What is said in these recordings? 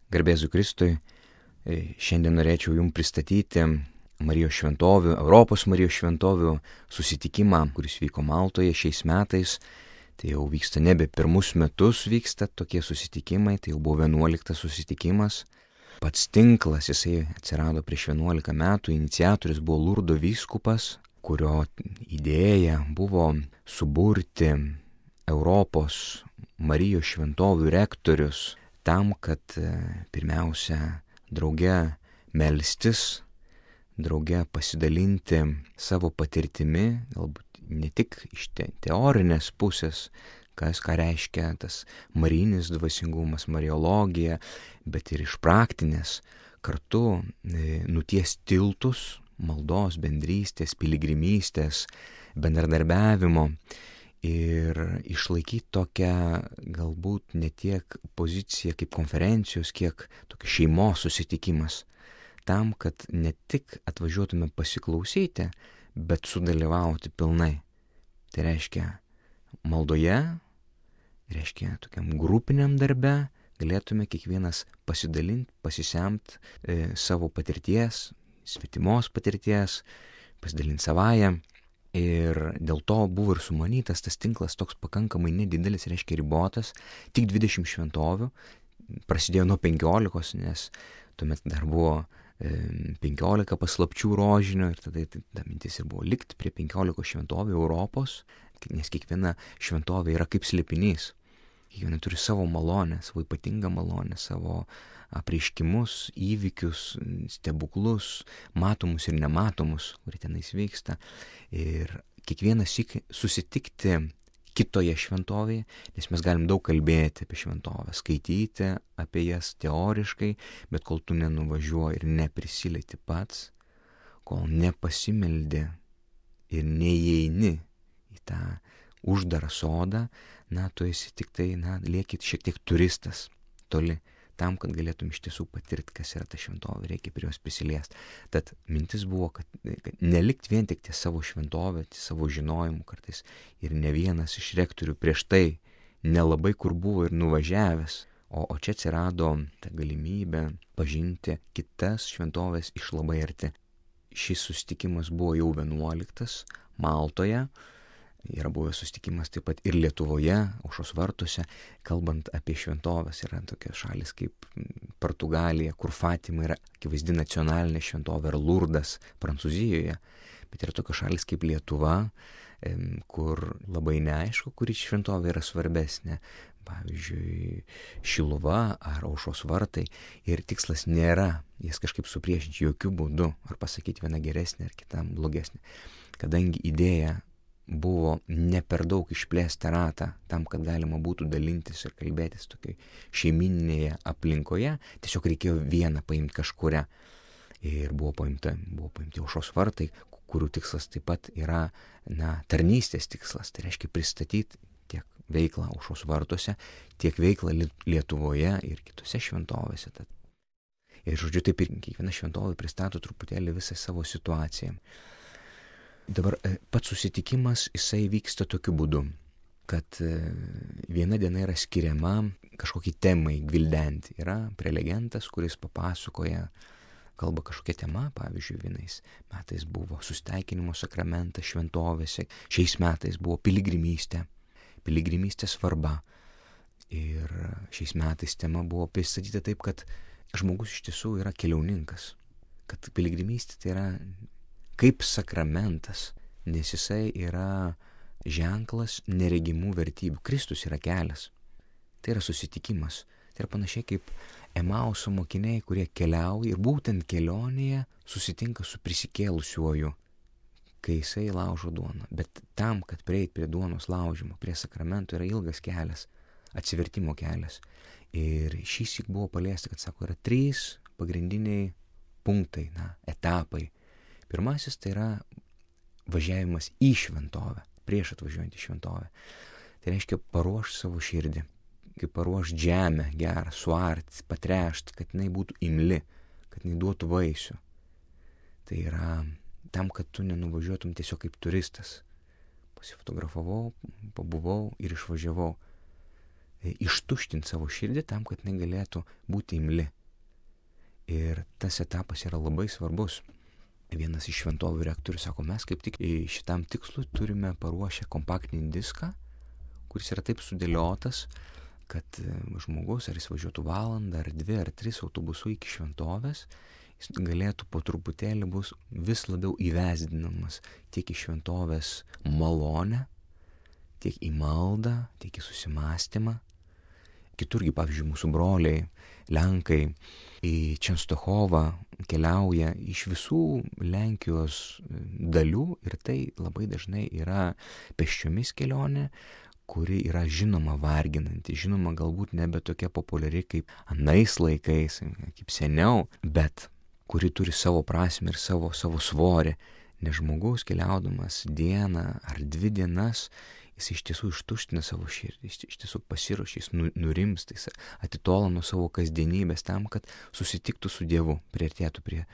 Garbė Jėzui Kristui. Šiandien norėčiau Jums pristatyti Marijos šventovių, Europos Marijos šventovių susitikimą, kuris vyko Maltoje šiais metais. Tai jau vyksta nebe pirmus metus vyksta tokie susitikimai, tai jau buvo 11 susitikimas. Pats tinklas, jisai atsirado prieš 11 metų, iniciatorius buvo Lurdo vyskupas, kurio idėja buvo suburti Europos Marijos šventovių rektorius tam, kad pirmiausia drauge melstis, drauge pasidalinti savo patirtimi, galbūt ne tik iš teorinės pusės, ką reiškia tas marijinis dvasingumas, mariologija, bet ir iš praktinės, kartu nuties tiltus, maldos, bendrystės, piligrimystės, bendradarbiavimo ir išlaikyti tokią galbūt ne tiek poziciją kaip konferencijos, kiek tokia šeimos susitikimas, tam, kad ne tik atvažiuotume pasiklausyti, bet sudalyvauti pilnai. Tai reiškia maldoje, reiškia tokiam grupiniam darbe, galėtume kiekvienas pasidalinti, pasisemti savo patirties, svetimos patirties, pasidalinti savąją. Ir dėl to buvo ir sumanytas tas tinklas toks pakankamai nedidelis, reiškia ribotas, tik 20 šventovių, prasidėjo nuo 15, nes tuomet dar buvo 15 paslapčių rožinio ir tada ta mintis ir buvo likti prie 15 šventovių Europos, nes kiekviena šventovė yra kaip slėpinys, kiekviena turi savo malonę, savo ypatingą malonę, savo apreiškimus, įvykius, stebuklus, matomus ir nematomus, kurie tenais vyksta. Ir kiekvienas susitikti kitoje šventovėje, nes mes galim daug kalbėti apie šventovę, skaityti apie jas teoriškai, bet kol tu nenuvažiuoji ir neprisilieti pats, kol nepasimeldi ir neįeini į tą uždarą sodą, tu esi tik tai, lieki šiek tiek turistas toli. Tam, kad galėtum iš tiesų patirti, kas yra ta šventovė, reikia prie jos prisiliesti. Tad mintis buvo, kad nelikt vien tik ties savo šventovę, ties savo žinojimu kartais. Ir ne vienas iš rektorių prieš tai nelabai kur buvo ir nuvažiavęs. O čia atsirado ta galimybė pažinti kitas šventovės iš labai arti. Šis susitikimas buvo jau 11 Maltoje. Yra buvęs susitikimas taip pat ir Lietuvoje, Aušros vartuose, kalbant apie šventovės. Yra tokios šalis kaip Portugalija, kur Fatima yra akivaizdi nacionalinė šventovė, ar Lurdas Prancūzijoje. Bet yra tokios šalis kaip Lietuva, kur labai neaišku, kuri šventovė yra svarbesnė. Pavyzdžiui, Šiluva ar Aušros vartai. Ir tikslas nėra jas kažkaip supriešinti jokių būdų, ar pasakyti vieną geresnę ar kitą blogesnę. Kadangi idėja buvo ne per daug išplėsti ratą tam, kad galima būtų dalintis ir kalbėtis tokiai šeimininėje aplinkoje, tiesiog reikėjo vieną paimti kažkuria. Ir buvo paimti Aušros vartai, kurių tikslas taip pat yra tarnystės tikslas, tai reiškia pristatyti tiek veiklą Aušros vartuose, tiek veiklą Lietuvoje ir kitose šventovėse. Ir žodžiu, taip ir kiekviena šventovė pristato truputėlį visą savo situaciją. Dabar pats susitikimas, jisai vyksta tokiu būdu, kad viena diena yra skiriama kažkokiai temai gvildenti. Yra prelegentas, kuris papasakoja, kalba kažkokia tema, pavyzdžiui, vienais metais buvo susitaikinimo sakramentas šventovėse, šiais metais buvo piligrimystės svarba. Ir šiais metais tema buvo pristatyta taip, kad žmogus iš tiesų yra keliauninkas, kad piligrimystė tai yra kaip sakramentas, nes jisai yra ženklas neregimų vertybių. Kristus yra kelias. Tai yra susitikimas. Tai yra panašiai kaip Emauso mokiniai, kurie keliauja ir būtent kelionėje susitinka su prisikėlusiuoju, kai jisai laužo duoną. Bet tam, kad prieit prie duonos laužimo, prie sakramento, yra ilgas kelias, atsivertimo kelias. Ir šįsyk buvo paliesta, kad sako, yra 3 pagrindiniai punktai, etapai. Pirmasis tai yra važiavimas į šventovę, prieš atvažiuojant į šventovę. Tai reiškia paruošti savo širdį, kaip paruošti žemę gerą, suarti, patrešti, kad jinai būtų imli, kad jinai duotų vaisių. Tai yra tam, kad tu nenuvažiuotum tiesiog kaip turistas. Pasifotografavau, pabuvau ir išvažiavau. Ištuštinti savo širdį tam, kad jinai galėtų būti imli, Ir tas etapas yra labai svarbus. Vienas iš šventovių rektorių sako, mes kaip tik šitam tikslui turime paruošę kompaktinį diską, kuris yra taip sudėliotas, kad žmogus, ar jis važiuotų valandą, ar 2, ar 3 autobusu iki šventovės, jis galėtų po truputėlį bus vis labiau įvesdinamas tiek į šventovės malonę, tiek į maldą, tiek į susimastymą. Kiturgi, pavyzdžiui, mūsų broliai, Lenkai į Čenstochovą keliauja iš visų Lenkijos dalių ir tai labai dažnai yra pėsčiomis kelionė, kuri yra žinoma varginanti, žinoma galbūt nebe tokia populiari kaip anais laikais, kaip seniau, bet kuri turi savo prasmę ir savo svorį, nes žmogus keliaudamas dieną ar 2 dienas, jis iš tiesų ištuština savo širdį, jis iš tiesų pasiruošia, jis nurimsta, jis atitola nuo savo kasdienybės tam, kad susitiktų su Dievu, priartėtų prie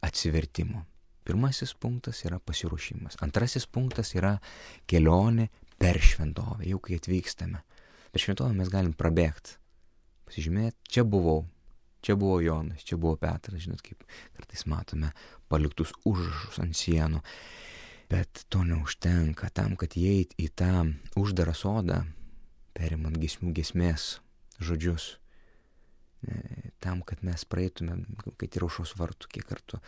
atsivertimo. Pirmasis punktas yra pasiruošimas. Antrasis punktas yra kelionė per šventovę, jau kai atvykstame. Per šventovę mes galim prabėgti, pasižymėti, čia buvo Jonas, čia buvo Petras, žinot, kaip kartais matome paliktus užrašus ant sienų. Bet to neužtenka tam, kad įeit į tą uždarą sodą, perimant giesmės žodžius, tam, kad mes praeitume, kad ir aušros vartų, kiek kartų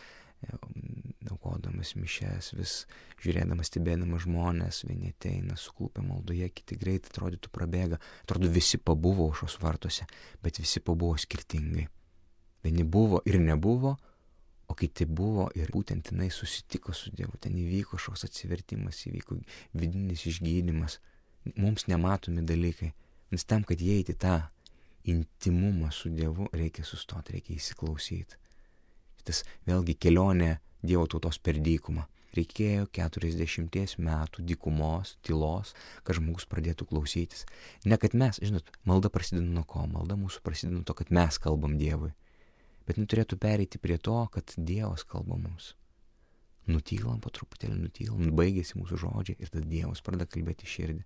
aukodamas mišias, vis žiūrėdamas, stebėdamas žmonės, vieni ateina, suklupę maldoje, kiti greit atrodytų prabėga, atrodo visi pabuvo aušros vartuose, bet visi pabuvo skirtingai. Vieni buvo ir nebuvo, o kiti buvo ir būtent jinai susitiko su Dievu, ten įvyko kažkoks atsivertimas, įvyko vidinis išgydymas, mums nematomi dalykai, nes tam, kad įeiti tą intimumą su Dievu, reikia sustoti, reikia įsiklausyti. Tas vėlgi kelionė Dievo tautos per dykumą. Reikėjo 40 metų dykumos, tylos, kad žmogus pradėtų klausytis. Ne kad mes, žinot, malda prasideda nuo ko? Malda mūsų prasideda nuo to, kad mes kalbam Dievui. Bet turėtų pereiti prie to, kad Dievas kalba mums. Nutylam po truputėlį, baigėsi mūsų žodžiai ir tada Dievas pradeda kalbėti širdį.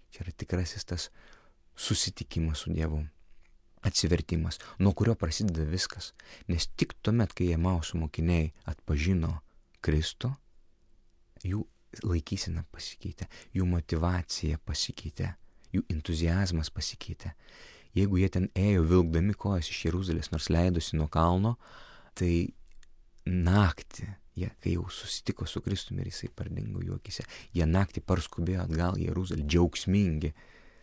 Čia yra tikrasis tas susitikimas su Dievu, atsivertimas, nuo kurio prasideda viskas. Nes tik tuomet, kai Emauso mokiniai atpažino Kristų, jų laikysena pasikeitė, jų motyvacija pasikeitė, jų entuziazmas pasikeitė. Jeigu jie ten ėjo vilkdami kojas iš Jeruzalės, nors leidosi nuo kalno, tai naktį, kai jau susitiko su Kristumi ir jisai pardingo jų akyse, jie naktį parskubėjo atgal į Jeruzalę, džiaugsmingi.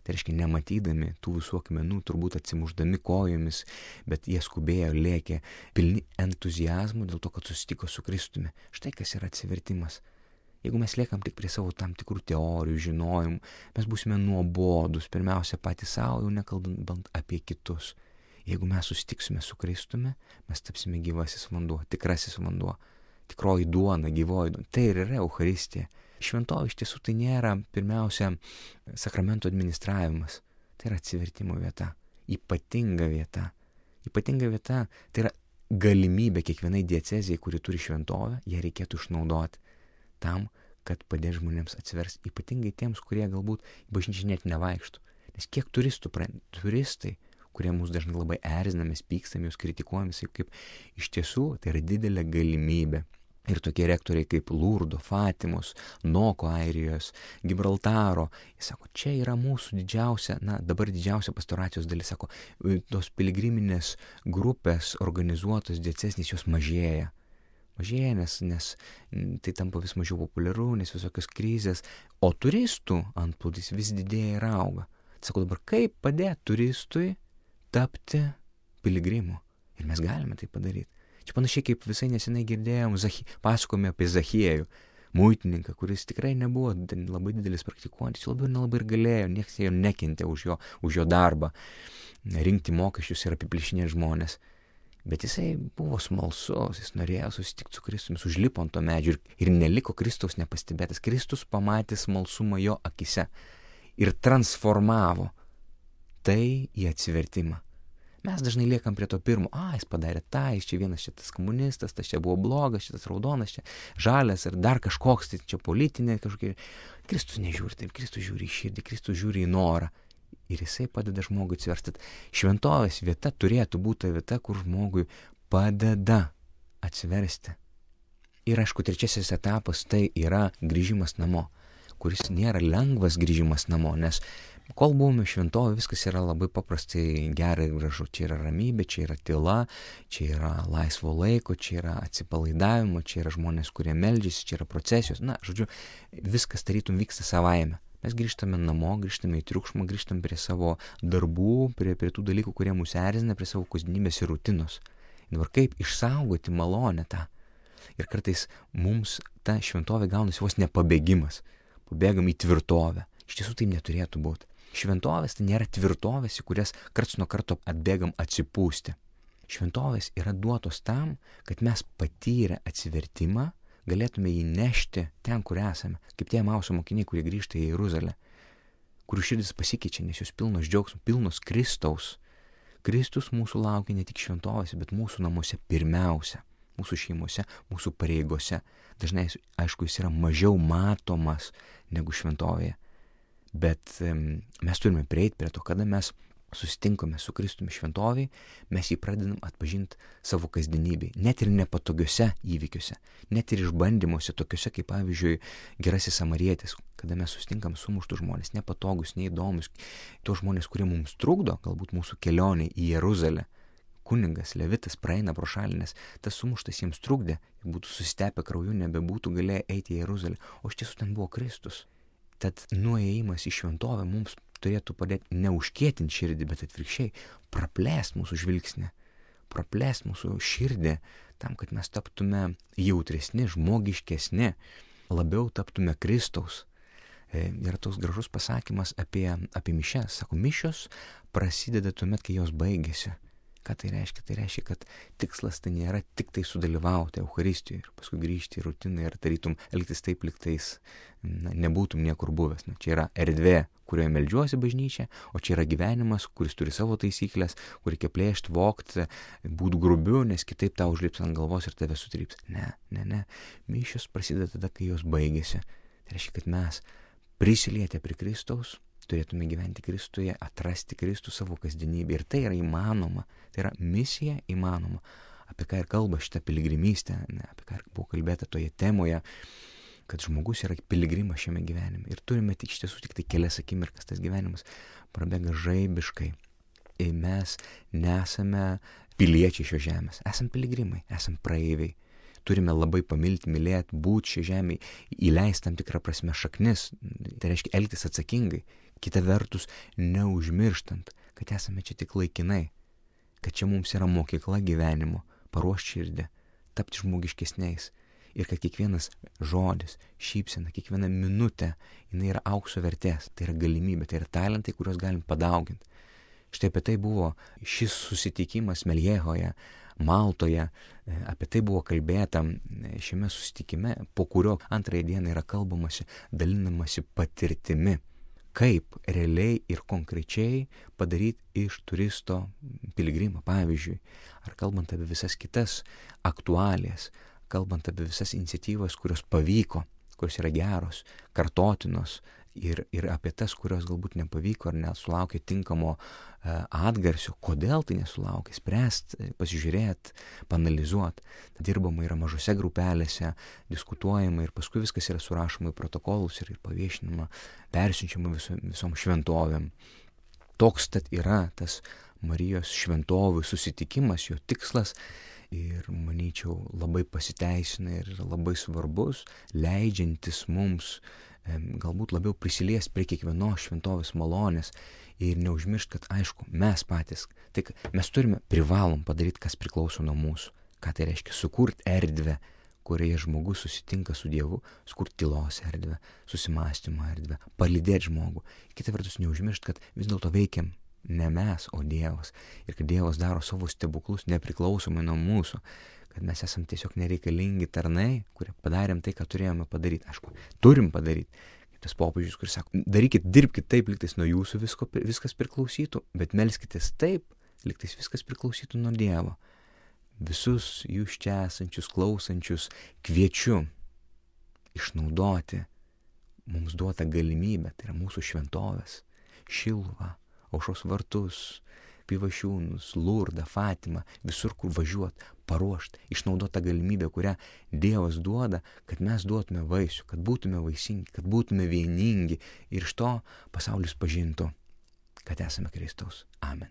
Tai reiškia, nematydami tų visų akmenų, turbūt atsimuždami kojomis, bet jie skubėjo, lėkė, pilni entuziazmų dėl to, kad susitiko su Kristumi. Štai kas yra atsivertimas. Jeigu mes liekam tik prie savo tam tikrų teorijų, žinojimų, mes būsime nuobodus, pirmiausia patys savo, jau nekalbant apie kitus. Jeigu mes susitiksime su Kristumi, mes tapsime gyvasis vanduo, tikrasis vanduo, tikroji duona, gyvoji duona. Tai ir yra Eucharistija. Šventovė iš tiesų tai nėra pirmiausia sakramento administravimas, tai yra atsivertimo vieta, ypatinga vieta. Ypatinga vieta tai yra galimybė kiekvienai diecezijai, kuri turi šventovę, ją reikėtų išnaudoti tam, kad padės žmonėms atsiversti, ypatingai tiems, kurie galbūt į bažnyčią net nevaikštų. Nes kiek turistai, kurie mus dažnai labai erzina, mes pykstam, jūs kritikuojam, kaip iš tiesų tai yra didelė galimybė. Ir tokie rektoriai kaip Lurdo, Fatimos, Noko Airijos, Gibraltaro, jis sako, čia yra mūsų dabar didžiausia pastoracijos dalis, sako, tos piligriminės grupės organizuotos diecesnės jos mažėja. Nes tai tampa vis mažiau populiaru, nes visokios krizės, o turistų antplūdis vis didėja ir auga. Sako, dabar kaip padėti turistui tapti piligrimu? Ir mes galime tai padaryti. Čia panašiai kaip visai nesenai girdėjom, pasakojome apie Zachiejų, muitininką, kuris tikrai nebuvo labai didelis praktikuojantis, labiau ir nelabai ir galėjo, niekas jo nekentė už jo darbą, rinkti mokesčius ir apiplėšinėti žmonės. Bet jisai buvo smalsus, jis norėjo susitikti su Kristumi, užlipo ant to medžio ir neliko Kristaus nepastebėtas. Kristus pamatė smalsumą jo akise ir transformavo tai į atsivertimą. Mes dažnai liekam prie to pirmo, jis padarė tą, jis čia vienas šitas komunistas, tas čia buvo blogas, šitas raudonas, čia žalias ir dar kažkoks, tai čia politinė kažkokia. Kristus nežiūri taip, Kristus žiūri į širdį, Kristus žiūri į norą. Ir jisai padeda žmogui atsiversti. Šventovės vieta turėtų būti vieta, kur žmogui padeda atsiversti. Ir aišku, trečiasis etapas tai yra grįžimas namo, kuris nėra lengvas grįžimas namo, nes kol buvome šventovė, viskas yra labai paprastai gera ir gražu. Čia yra ramybė, čia yra tyla, čia yra laisvo laiko, čia yra atsipalaidavimo, čia yra žmonės, kurie meldžiasi, čia yra procesijos. Na, žodžiu, viskas tarytum vyksta savaime. Mes grįžtame namo, grįžtame į triukšmą, grįžtame prie savo darbų, prie tų dalykų, kurie mus erzina, prie savo kasdienybės ir rutinos. Dabar kaip išsaugoti malonę tą? Ir kartais mums ta šventovė gaunasi vos nepabėgimas. Pabėgam į tvirtovę. Iš tiesų tai neturėtų būti. Šventovės tai nėra tvirtovės, į kurias karts nuo karto atbėgam atsipūsti. Šventovės yra duotos tam, kad mes patyrę atsivertimą galėtume jį nešti ten, kur esame, kaip tie Emauso mokiniai, kurie grįžta į Jeruzalę, kurių širdis pasikeičia, nes jos pilnos džiaugsmo, pilnos Kristaus. Kristus mūsų laukia ne tik šventovėse, bet mūsų namuose pirmiausia, mūsų šeimose, mūsų pareigose. Dažnai, aišku, jis yra mažiau matomas negu šventovėje. Bet mes turime prieiti prie to, kada mes susitinkame su Kristumi šventovėje, mes jį pradedam atpažinti savo kasdienybėje, net ir nepatogiuose įvykiuose, net ir išbandymuose tokiuose kaip pavyzdžiui Gerasis Samarietis, kada mes susitinkam sumuštus žmonės, nepatogus, neįdomus, tos žmonės, kurie mums trukdo, galbūt mūsų kelionė į Jeruzalę. Kunigas, levitas praeina pro šalį, nes tas sumuštas jiems trukdė, būtų susitepę krauju, nebebūtų galėję eiti į Jeruzalę, o iš tiesų ten buvo Kristus. Tad nuėjimas į šventovę mums turėtų padėti neužkietinti širdį, bet atvirkščiai praplėsti mūsų žvilgsnį, praplėsti mūsų širdį tam, kad mes taptume jautresni, žmogiškesni, labiau taptume Kristaus. Yra toks gražus pasakymas apie mišias. Sako, mišios prasideda tuomet, kai jos baigėsi. Ką tai reiškia? Tai reiškia, kad tikslas tai nėra tik tai sudalyvauti Eucharistijoje ir paskui grįžti į rutiną ir tarytum elgtis taip, lyg tais nebūtum niekur buvęs. Čia yra erdvė, kurioje meldžiuosi bažnyčia, o čia yra gyvenimas, kuris turi savo taisyklės, kur reikia plėšti, vogti, būti grubiu, nes kitaip tau užlips ant galvos ir tave sutryps. Ne. Mišios prasideda tada, kai jos baigėsi. Tai reiškia, kad mes prisilietę prie Kristaus turėtume gyventi Kristuje, atrasti Kristų savo kasdienybę. Ir tai yra įmanoma. Tai yra misija įmanoma. Apie ką ir kalba šitą piligrimystę, apie ką ir buvo kalbėta toje temoje, kad žmogus yra piligrimas šiame gyvenime. Ir turime tik iš tiesų tik tai kelias akimirkas, tas gyvenimas prabėga žaibiškai. Ir mes nesame piliečiai šios žemės. Esam piligrimai, esam praeiviai. Turime labai pamilti, mylėti, būti šią žemę, įleisti tam tikrą prasme šaknis. Tai reiškia elgtis atsakingai. Kita vertus, neužmirštant, kad esame čia tik laikinai, kad čia mums yra mokykla gyvenimo, paruošti širdį, tapti žmogiškesniais ir kad kiekvienas žodis, šypsena, kiekviena minutė, jinai yra aukso vertės, tai yra galimybė, tai yra talentai, kuriuos galim padauginti. Štai apie tai buvo šis susitikimas Meljehoje, Maltoje, apie tai buvo kalbėta šiame susitikime, po kurio antrąją dieną yra kalbamasi, dalinamasi patirtimi. Kaip realiai ir konkrečiai padaryti iš turisto piligrimą, pavyzdžiui, ar kalbant apie visas kitas aktualijas, kalbant apie visas iniciatyvas, kurios pavyko, kurios yra geros, kartotinos ir apie tas, kurios galbūt nepavyko ar nesulaukė tinkamo atgarsio, kodėl tai nesulaukė, spręsti, pasižiūrėti, panalizuoti. Dirbama yra mažose grupelėse, diskutuojama ir paskui viskas yra surašoma į protokolus ir paviešinama, persiunčiama visom šventovėm. Toks tad yra tas Marijos šventovių susitikimas, jo tikslas ir, manyčiau, labai pasiteisina ir labai svarbus, leidžiantis mums galbūt labiau prisiliesti prie kiekvienos šventovės malonės ir neužmiršti, kad aišku, mes patys, tai mes privalom padaryti, kas priklauso nuo mūsų. Ką tai reiškia? Sukurti erdvę, kurioje žmogus susitinka su Dievu, sukurti tylos erdvę, susimąstymo erdvę, palydėti žmogų. Kita vertus, neužmiršti, kad vis dėlto veikiam ne mes, o Dievas. Ir kad Dievas daro savo stebuklus nepriklausomai nuo mūsų. Kad mes esam tiesiog nereikalingi tarnai, kurie padarėm tai, ką turėjome padaryti. Aišku, turim padaryti. Kaip tas popiežius, kuris sako, darykit, dirbkit taip, lygtais nuo jūsų viskas priklausytų, bet melskitės taip, lygtais viskas priklausytų nuo Dievo. Visus jūs čia esančius, klausančius kviečiu išnaudoti mums duotą galimybę, tai yra mūsų šventovės, Šiluvą, Aušros vartus, Pivašiūnus, Lurdą, Fatimą, visur, kur važiuot, paruošt, išnaudot tą galimybę, kurią Dievas duoda, kad mes duotume vaisių, kad būtume vaisingi, kad būtume vieningi ir iš to pasaulis pažintų, kad esame Kristaus. Amen.